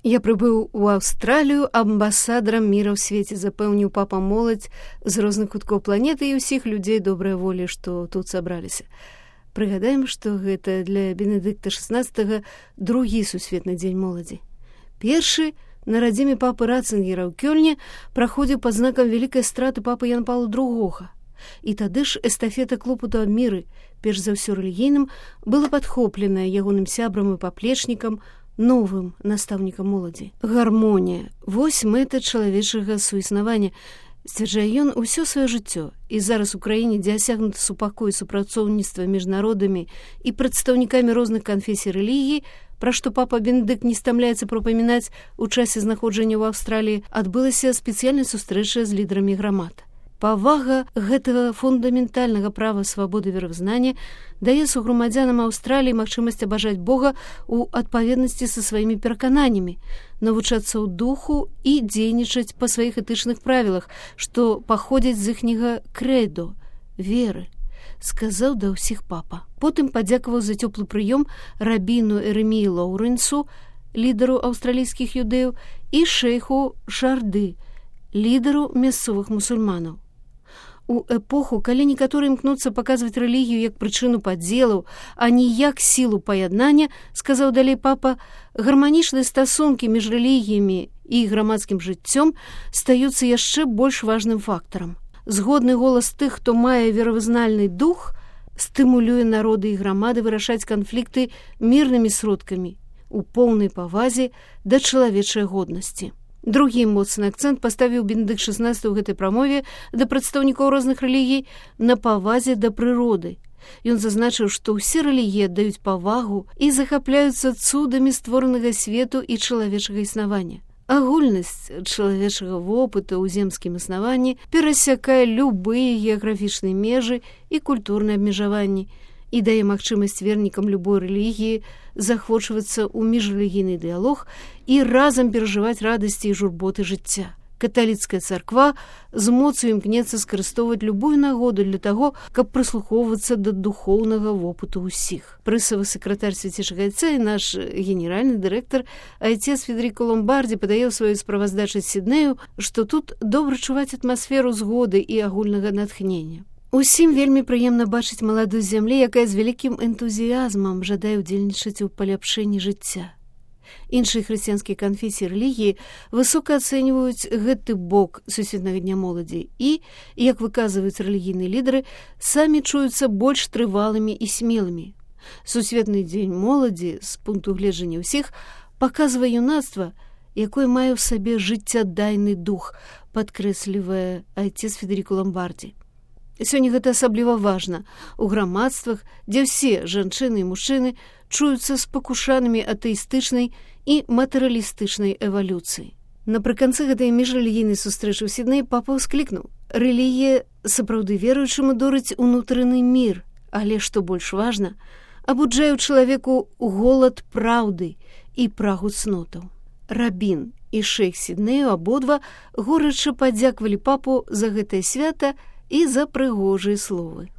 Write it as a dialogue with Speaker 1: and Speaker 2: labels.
Speaker 1: Я прыбыў у Аўстралію амбасадарам міра ў свеце, запэўніў папа моладзь з розных куткоў планеты і ўсіх людзей добрай волі, што тут сабраліся. Прыгадаем, што гэта для Бенедыкта XVI другі сусветны дзень моладзі. Першы на радзіме папы Ратцынгера ў Кёльне праходзіў пад знакам вялікай страты папы Яна Паўла II. І тады ж эстафета клопату аб міры, перш за ўсё рэлігійным, была падхопленая ягоным сябрам і паплечнікам, новым настаўнікам моладзі. Гармонія – вось мэта чалавечага суіснавання, сцвярджае ён усё сваё жыццё. І зараз у краіне, дзе асягнуты супакой супрацоўніцтва між народамі і прадстаўнікамі розных канфесій рэлігій, пра што папа Бенедыкт не стамляецца прапамінаць у часе знаходжання ў Аўстраліі, адбылася спецыяльная сустрэча з лідарамі грамад. Павага гэтага фундаментальнага права свабоды веравызнання дае суграмадзянам Аўстраліі магчымасць абажаць Бога ў адпаведнасці са сваімі перакананнямі, навучацца ў духу і дзейнічаць па сваіх этычных правілах, што паходзяць з іхняга крэдо, веры, сказаў да ўсіх папа. Потым падзякаваў за цёплы прыём рабіну Ерэміі Лоўрэнсу, лідару аўстралійскіх юдэяў, і шэйху Шарды, лідару мясцовых мусульманаў. У эпоху, калі некаторыя імкнуцца паказваць рэлігію як прычыну падзелаў, а не як сілу паяднання, сказаў далей папа, гарманічныя стасункі між рэлігіямі і грамадскім жыццём стаюцца яшчэ больш важным фактарам. Згодны голас тых, хто мае веравызнальны дух, стымулюе народы і грамады вырашаць канфлікты мірнымі сродкамі у поўнай павазе да чалавечай годнасці. Другі моцны акцэнт паставіў Бенедыкт XVI ў гэтай прамове да прадстаўнікоў розных рэлігій на павазе да прыроды. Ён зазначыў, што ўсе рэлігіі аддаюць павагу і захапляюцца цудамі створанага свету і чалавечага існавання. Агульнасць чалавечага вопыту ў земскім існаванні перасякае любыя геаграфічныя межы і культурныя абмежаванні і дае магчымасць вернікам любой рэлігіі захвочвацца ў міжрэлігійны дыялог і разам перажываць радасці і журботы жыцця. Каталіцкая царква з моцу імкнецца скарыстоўваць любую нагоду для таго, каб прыслухоўвацца да духоўнага вопыту ўсіх. Прысавы сакратар свяцейшага айца і наш генеральны дырэктар айцец Федэрыка Ломбардзі падае ў сваёй справаздачы з Сіднею, што тут добра чуваць атмасферу згоды і агульнага натхнення. Усім вельмі прыемна бачыць маладую зямлі, якая з вялікім энтузіязмам жадае ўдзельнічаць у паляпшэнні жыцця. Іншыя хрысціянскія канфесіі рэлігіі высока ацэньваюць гэты бок сусветнага дня моладзі і, як выказваюць рэлігійныя лідары, самі чуюцца больш трывалымі і смелымі. Сусветны дзень моладзі, з пункту гледжання ўсіх, паказвае юнацтва, якое мае ў сабе жыццядайны дух, падкрэслівае айцец Федэрыка Ломбардзі. Сёння гэта асабліва важна у грамадствах, дзе ўсе жанчыны і мужчыны чуюцца спакушанымі атэістычнай і матэрыялістычнай эвалюцыі. Напрыканцы гэтай міжрэлігійнай сустрэчы ў Сіднеі папа ўсклікнуў: рэлігія сапраўды веруючаму дорыць унутраны мір, але, што больш важна, абуджае ў чалавеку голад праўды і прагу цнотаў. Рабін і шэйх Сіднею абодва горача падзякавалі папу за гэтае свята і за прыгожыя словы.